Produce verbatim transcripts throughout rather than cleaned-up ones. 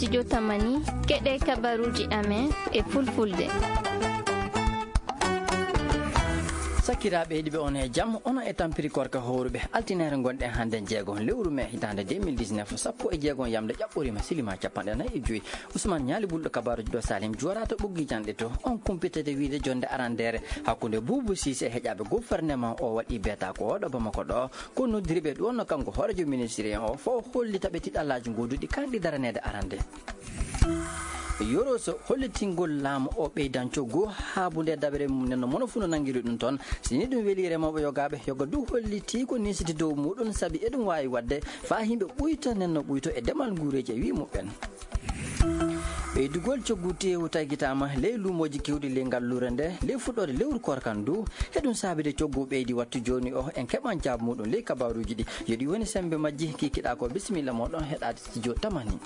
Studio Tamani, keɗe kabaruji amen e fulfulde. Sakiraaɓe heɗiiɓe, on e jam, onon e tampiri korka howruɓe. Altine ngonɗen hannde jeego lewru mee hitaande deux mille dix-neuf, sappo e jeego yamde ƴaɓɓoriima silima capanɗe nayi e joyi. Ousmane Ñaali Bulɗo kabaaruji ɗo Salim Juwara to ɓoggi janɗe to. On kumpitete wiide jonde arandeere hakkunde Boubou Cissé e heƴaaɓe gouvernement o waɗi beeta ko oɗo Bamako ɗo. Ko noddirɓe ɗo no kanko hoorejo ministre en o fof hollita ɓe tiɗallaaji goduɗi kanɗi daraneede arande. Yoroso hollitingol laamu o ɓeydan coggu haabunde dabere mum nen no mono fuu no nanngiri ɗum toon. Si ni ɗum weli remooɓe yogaaɓe, yoga du holliti ko nisiti dow muɗum sabi eɗum waawi waɗde faa yimɓe ɓuyta nen no ɓuyto e demal nguureeji e wii muɓɓen. Ɓeydugol coggu teewu tagitaama ley luumooji keewɗi ley ngalluure nde, ley fuɗɗoode lewru koorka ndu. Heɗum saabide coggu ɓeydi wattu jooni o, en keɓan jaabu muɗum ley kabaaruuji ɗi. Yo ɗi woni semmbe majji, kikiɗaa ko bisimilla mooɗon heɗaade studio Tamani.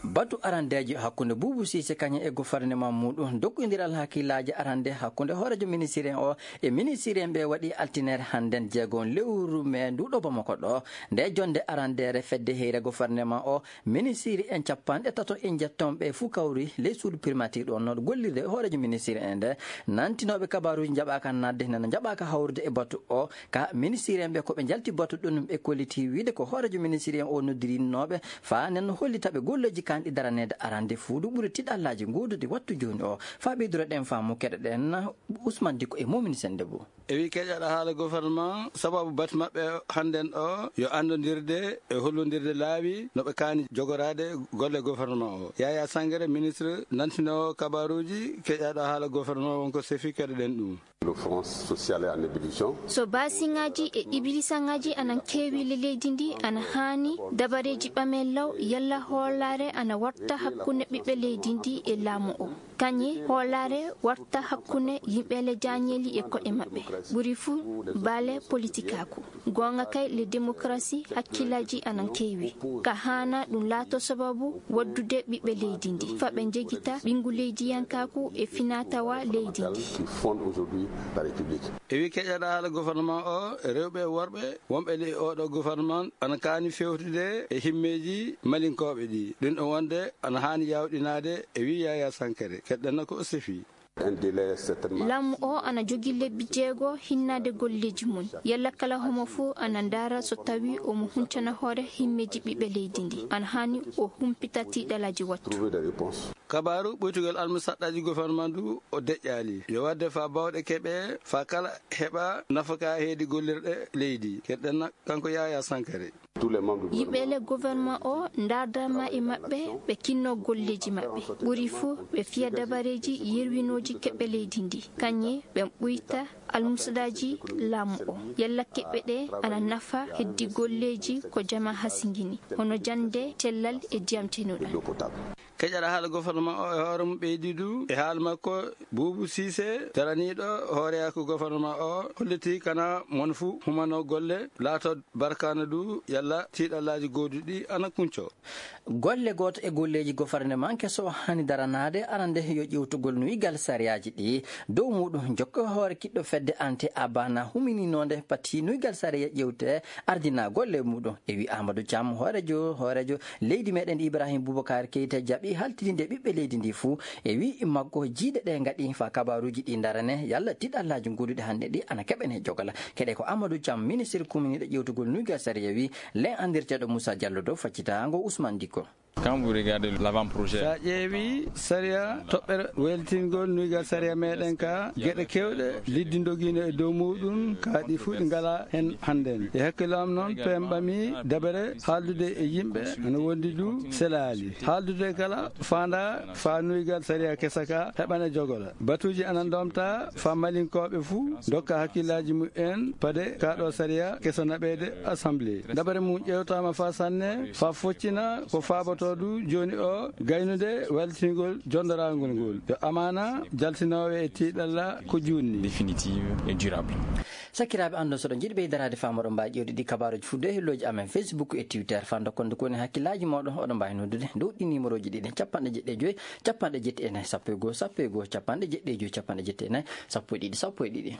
Batu arandeejo hakkunde Boubou Cissé kañum e gouvernement muɗum, doggodiral hakkillaaji arande hakkunde hooreejo ministre en o e ministre en ɓe waɗi altineere hannden jeego lewru mee nduɗo Bamako ɗo. Nde jonde arandeere fedde heyre gouvernement o, ministre en capanɗe tato e njetton ɓe fuu kawri ley suudu primature ɗo no gollirde e hooreejo ministre en nde. Nantinooɓe kabaaruuji njaɓaaka naatde, nana njaɓaaka hawrude e batu o. Ka ministre en ɓe ko ɓe njalti batu ɗum, ɓe kolliti wiide ko hooreejo ministre en o noddirinooɓe faa nen hollita ɓe golleeji kanɗi daraneede arande fuu du ɓuri tiɗallaaji gooduɗi wattu jooni o. Faa ɓeydoro ɗen faamu keɗoɗen Ousmane Dicko e Momini Sennde Bou. E wi keƴaɗo haala gouvernement, sababu batu maɓɓe hannden o yo anndondirde e hollondirde laawi no ɓe kaani jogoraade golle gouvernement o. Yaya Sangare, ministre nantinoowo kabaaruuji, keƴaɗo haala gouvernement wonko sefi, keɗoɗen ɗum. L'offense sociale est en ébullition. So baasiŋaaji e ibilisaŋaaji anan keewi le leydi ndi, ana haani dabareeji ɓamen law yalla hoolaare ana warta hakkunde ɓiɓɓe leydi ndi e laamu o. Kañe hoolaare warta hakkunde yimɓe le jaañeeli e koɗe maɓɓe. Ɓuri fuu baale politikaaku. Goonga kay, le démocratie, hakkillaaji anan keewi. Ka haana ɗum laato sababu waddude ɓiɓɓe leydi ndi. Faa ɓe njegita ɓinngu leydiyankaaku e finaa-tawaa leydi ndi. Qui fonde aujourd'hui la République. E wi keƴaɗo haala gouvernement o, rewɓe e worɓe wonɓe ley oɗo gouvernement ana kaani fewtude e himmeeji malinkooɓe ɗi. Ɗum ɗo wonde ana haani yaawɗinaade e wi Yaya Sankare. Keɗɗen ko o sefi. Un délai certainement. Laamu o ana jogii lebbi jeego hinnaade golleeji mum. Yalla kala homo fuu ana ndaara so tawii omo huncana hoore himmeeji ɓiɓɓe leydi ndi. Ana haani o humpita tiiɗalaaji wattu. Trouver des réponses. Kabaaru ɓuytugol almusaɗɗaaji gouvernement ndu o deƴƴaali. Yo waɗde faa baawɗe keɓe, faa kala heɓa nafaka heedi gollirɗe leydi. Keɗɗen kanko Yaya Sankare. Tous les membres du Yimɓe gouvernement. Le gouvernement o ndaardaama e maɓɓe, ɓe kinno golleeji maɓɓe. Ɓuri fuu ɓe fiya dabareeji yerwinooji keɓe leydi ndi. Kañe ɓe ɓuyta almusaɗɗaaji laamu o. Yalla keɓe ɗe ana nafa heddi golleeji ko jama hasingini, hono jannde, cellal e diyam cenuɗam. Keƴaɗo haala gouvernement o e hoore mum ɓeydi du e haala makko, Boubou Cissé, daraniiɗo hooreyaaku gouvernement o, holliti kana mon fuu humano golle laato barkaana du yalla tiiɗallaaji gooduɗi ana kunco. Golle gooto e golleeji gouvernement keso hani daranaade arande yo ƴewtugol nuygal sariyaaji ɗi dow muɗum jokka hoore kiɗɗo fedde ante abana humininoonde pati nuygal sariya ƴewte ardina golle muɗum. E wi Amadou Thiam, hoorejo, hoorejo leydi meɗen Ibrahim Boubacar Keita jaɓi haltidinde ɓiɓɓe leydi ndi fuu. E wi makko jiiɗe ɗe ngaɗi faa kabaaruuji ɗi darane yalla tiɗallaaji goduɗi hannde ɗi ana keɓene jogala. Keɗe ko Amadou Thiam, ministre kuminiɗo ƴewtugol nuygal sariya wi len andirteɗo Moussa Diallo dow faccitaango Ousmane Dicko. Quand vous regardez l'avant-projet. Sa ƴeewi sariya toɓɓere weltingol nuygal sariya meɗen ka, geɗe kewɗe liddi dogiino e dow muɗum, ka ɗi fuu ɗi ngala hen hannden. E hakkillo am noon, pemɓami dabere haaldude e yimɓe, ana wondi du selaali. Haaldude kala faanda faa nuygal sariya kesa ka heɓane jogola. Batuuji ana ndomta faa malinkooɓe fuu dokka hakkillaaji mumen pade kaa ɗo sariya kesa naɓeede assemblée. Dabare mum ƴeewtaama faa sanne, faa foccina ko faabotoo du jooni o gaynude weltingol jondoraangol ngol. Yo amaana jaltinoowe e tiiɗalla ko juutni. Définitive et durable. Sakiraaɓe, anndon so ɗon njiɗi ɓeydaraade faa moɗon mbaawi ƴeewde ɗi kabaaruuji fuu dow hellooji amen Facebook e Twitter. Faa ndokkon nde ko woni hakkillaaji mooɗon, oɗon mbaawi noddude dow ɗi numéroji ɗiɗi, capanɗe jeɗɗi e joy, capanɗe jeɗɗi e nayi, sappo e goo, sappo e goo, capanɗe jeɗɗi e joy, capanɗe jeɗɗi e nayi, sappo e ɗiɗi, sappo e ɗiɗi.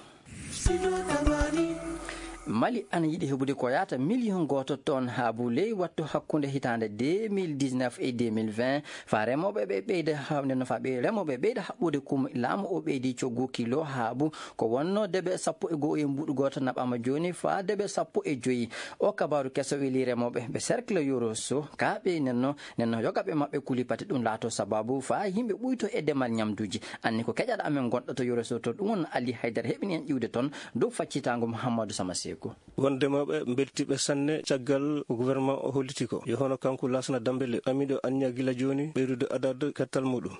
Mali ana yiɗi heɓude ko yaata miliyon gooto ton haabu ley wattu hakkunde hitaande deux mille dix-neuf e deux mille vingt. Faa remooɓe ɓe ɓeyda ha-, nden no faa ɓe remooɓe ɓeyda haɓɓude kum laamu o ɓeydi coggu kilo haabu ko wonno debe sappo e go'o e mbuuɗu gooto naɓaama jooni faa debe sappo e joyi. O kabaaru keso weli remooɓe ɓe cercle Yoro Sow ka ɓe nenno, nenno yogaɓe maɓɓe kuli pati ɗum laato sababu faa yimɓe ɓuyto e demal ñamduuji. Anni ko keƴaɗo amen gonɗo to Yoro Sow to ɗum won Ali Haydara heɓini en iwde ton dow faccitaango Muhammadu Sama Seeku. Won demooɓe mbeltiiɓe sanne caggal ko gouvernement o holliti ko. Yo hono kanko Laasana Dambele, ɓamiiɗo anniya gila jooni ɓeydude adad kettal muɗum.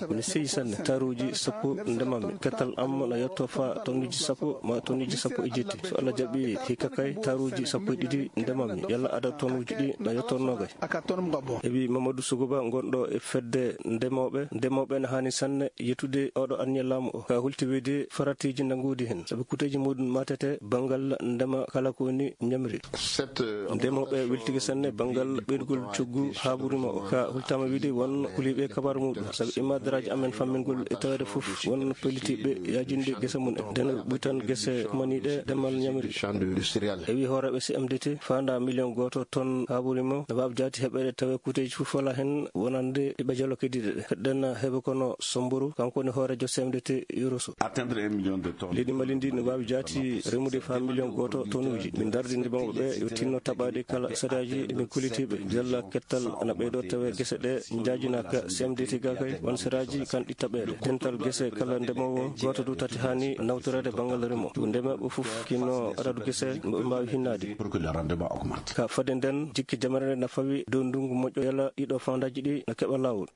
Ene seyi sanne taruuji sappo ndemammi. Kettal am na yetto faa tonnuji sappo ma tonnuji sappo e jetti. So Allah jaɓi hikka kay taruuji sappo e ɗiɗi ndemammi. Yalla adad tonnuji ɗi na yetto noogay. E wi Mamadou Sougouba gonɗo e fedde ndemooɓe, ndemooɓe ne haani sanne yettude oɗo anniya laamu o. Ka hulti wiyde faratiiji na ngoodi heen. Sabu kuuteeji muɗum matete banngal ndema kala ko woni ñamri. Ndemooɓe weltike sanne banngal ɓeydugol coggu haaburima o. Ka hultama wiyde won kuliiɓe kabar muɗum. Sabu immadaraaji amen fammingol e taweede fof won pellitiiɓe yaajinde gese mum en. Nden ɓuytan gese maniiɗe demal ñamri. E wi hooreeɓe C M D T faanda miliyon gooto ton haaburima no waawi jaati heɓeede tawe kuuteeji fof wala heen wonande ɓe jalo keddiiɗe ɗe. Heɗɗen heɓe kono Somburu, kanko woni hooreejo C M D T Yoro Sow. Leydi Mali ndi no waawi jaati remude faa miliyon gooto tonuuji. Min ndardi ndimooɓe ɓe yo tinno taɓaade kala sariyaaji ɗi min kolitiiɓe. Jalla kettal ana ɓeydoo tawe gese ɗe njaajinaaka C M D T ga kay. Won sariyaaji kan ɗi taɓeede. Dental gese kala ndemoowo gooto du tati haani nawtoreede banngal remo. Ko ndemooɓe fof kinno adadu gese mo ɓe mbaawi hinnaade. Ka fade nden jikki jamare nde na fawi dow ndungu moƴƴo yala ɗiɗo fandaaji ɗi na keɓa laawol.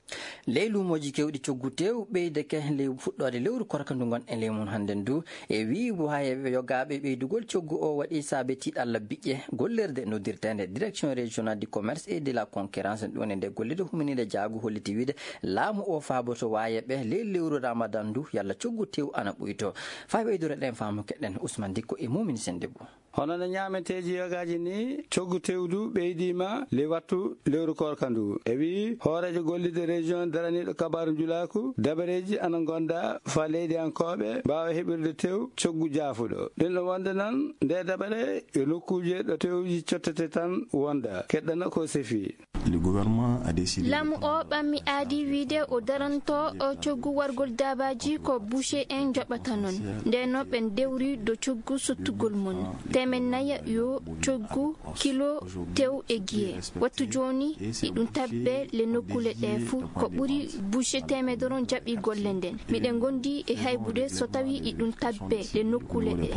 Ley luumooji keewɗi coggu tew ɓeydeke ley fuɗɗoode lewru korka ndu ngon e ley mum hannden du. E wii waayeɓe yogaaɓe ɓeydugol coggu o waɗi saabe tiiɗalla biƴƴe gollirde noddirteende Direction Régionale du Commerce et de la Concurrence ɗum e nde gollirde huminiinde jaagu holliti wiide laamu o faaboto waayeɓe ley lewru Ramadan ndu yalla coggu tew ana ɓuyto. Faa ɓeydore ɗen faamu keɗen Ousmane Dikko e Mumini Sendebou. Hono no ñaameteeji yogaaji ni, coggu tewdu ɓeydiima ley wattu lewru koorka ndu. E wii hooreejo gollirde région daraniiɗo kabaaru njulaaku, dabareeji ana ngonda faa leydiyankooɓe mbaawa heɓirde tew coggu jaafuɗo. Ɗum ɗo wonde noon, nde dabare yo nokkuuje ɗo tewji cottete tan wonda, keɗɗana ko sefi. Le gouvernement a décidé de Laamu o ɓammi aadi wiide o daranto o coggu wargol daabaaji ko boucher en njoɓata noon. Ndeen no ɓen dewri do coggu sottugol mum. Teemen nayi yo coggu kilo tew e giye. Wattu jooni iɗum tabbe le nokkuule ɗe fuu. Ko ɓuri boucher teemedere on jaɓi golle nden. Miɗen ngondi e haybude so tawi iɗum tabbe le nokkuule ɗe.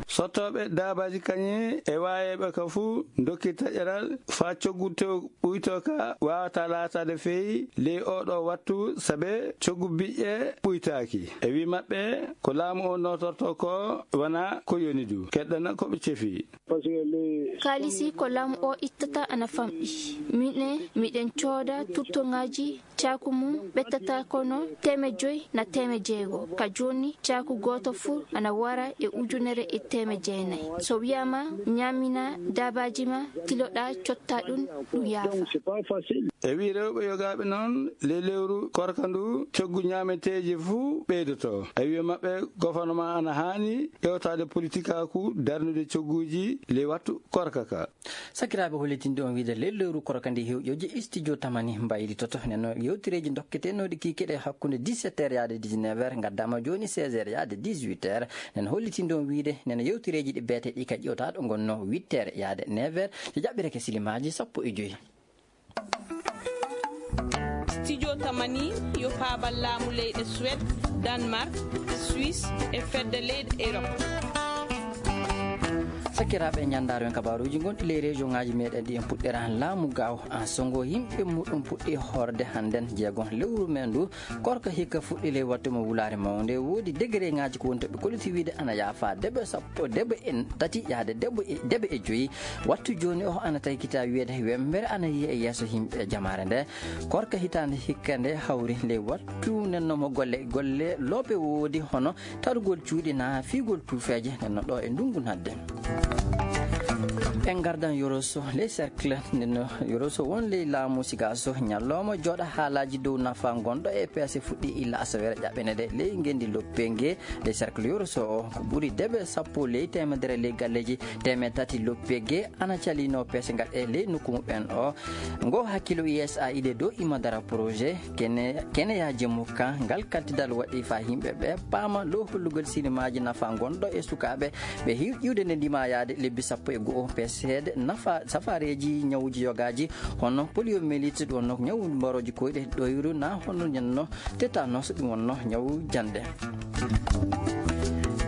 Sottooɓe daabaaji kañe e waayeeɓe ka fuu ndokki taƴeral faa coggu tew ɓuyto ka waawata laataade feewi ley oo ɗoo wattu, sabe coggu biƴƴe ɓuytaaki. E wii maɓɓe, ko laamu o nootortoo ko wanaa ko yoni du. Keɗɗana ko ɓe cefi. Kaalisi ko laamu o ittata ana famɗi. Minen, miɗen cooda turtoŋaaji caaku mum ɓettata kono teeme joy na teeme jeego. Ka jooni, caaku gooto fuu ana wara e ujunere e teeme jeenayi. So wiyaama ñaamina daabaaji ma, tiloɗaa cotta ɗum, ɗum yaafa. E wii rewɓe yogaaɓe noon, ley lewru korka ndu, coggu ñaameteeji fuu ɓeydoto. E wii maɓɓe, gouvernement ana haani ƴeewtaade politikaaku darnude cogguuji ley wattu korka ka. Sakiraaɓe, hollitinde on wiide ley lewru korka ndi hew ƴoƴe studio Tamani mbaylitoto. Nen no yewtereeji dokketenooɗi kiikiiɗe hakkunde dix-sept heures yaade dix-neuf heures, ngaddaama jooni seize heures yaade dix-huit heures. Nen hollitinde on wiide nen yewtereeji ɗi beete ɗi ka ƴewtaaɗo ngonno huit heures yaade neuf heures. Ɗi jaɓɓireke silimaaji sappo e joy. Studio Tamani yo paabal laamu leyɗe Suède, Danemark, Suisse e fedde leyɗe Europe. Sakiraaɓe, ñanndaaro en kabaaruuji gonɗi ley région ŋaaji meɗen ɗi en puɗɗera laamu gaaw. En songo yimɓe muɗum puɗɗi hoorde hannden jeegon lewru men ndu. Korka hikka fuɗɗi ley wattu mo wulaare mawnde. Woodi degré ŋaaji ko woni to ɓe kolliti wiide ana yaafa debe sappo, debe e tati yaade debe e, debe e joyi. Wattu jooni o ana taykita wiyeede wemmbere ana yiya e yeeso yimɓe jamaare nde. Korka hitaande hikka nde hawri ley wattu nenno mo golle, golle loope woodi hono targol cuuɗi na fiigol tuufeeje nenno ɗo e ndungu nadde. En ngardan Yoroso, ley cercle, nden no Yoroso won ley laamu Sigaaso, ñallooma jooɗa haalaaji dow nafa ngonɗo e peese fuɗɗi illa asaweere ƴaɓɓene de. Ley ngenndi Loppenge, ley cercle Yoroso o, ko ɓuri debe sappo ley teemedere ley galleeji teemeɗɗe tati Loppenge ana calino peese ngaɗe ley nokku muɓɓen o. Ngo hakkilo U S A I D dow ima dara projet, kene, kene ya jemu ka, ngal kaltidal waɗi fa yimɓe ɓe paama low hollugol sinimaaji nafa ngonɗo e sukaaɓe ɓe hiw ƴiwde nde ndima yaade lebbi sappo e go'o peseede nafa safareeji ñawuji yogaaji, hono poliomyélite, ɗum wonno ñawu mbarooji koyɗe, ɗoyru na hono ñanno tétanos, ɗum wonno ñawu jande.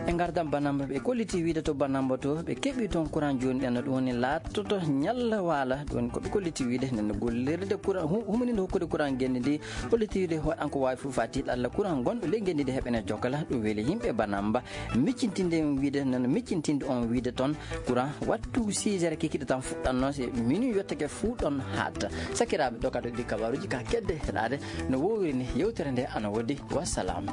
E ngardan Banamba, ɓe kolliti wiide to Banamba to, ɓe keɓi toon courant jooni ɗen, ɗum woni laatoto ñalla waala, ɗum woni ko ɓe kolliti wiide nden gollirde courant, hu-, humininde hokkude courant ngenndi ndi, kolliti wiide waɗan ko waawi fof faa tiiɗalla courant gonɗo ley ngenndi ndi heɓene jokkala, ɗum weli yimɓe Banamba. Miccintinde on wiide, noon miccintinde on wiide toon, courant wattu six heures kikiɗe tan fuɗɗanno, si minuit yottake fuu ɗon haaɗta. Sakiraaɓe, ɗo kadi ɗi kabaaruuji ka kedde heɗaade no woowiri ni, yewtere nde ana woodi. Wassalam.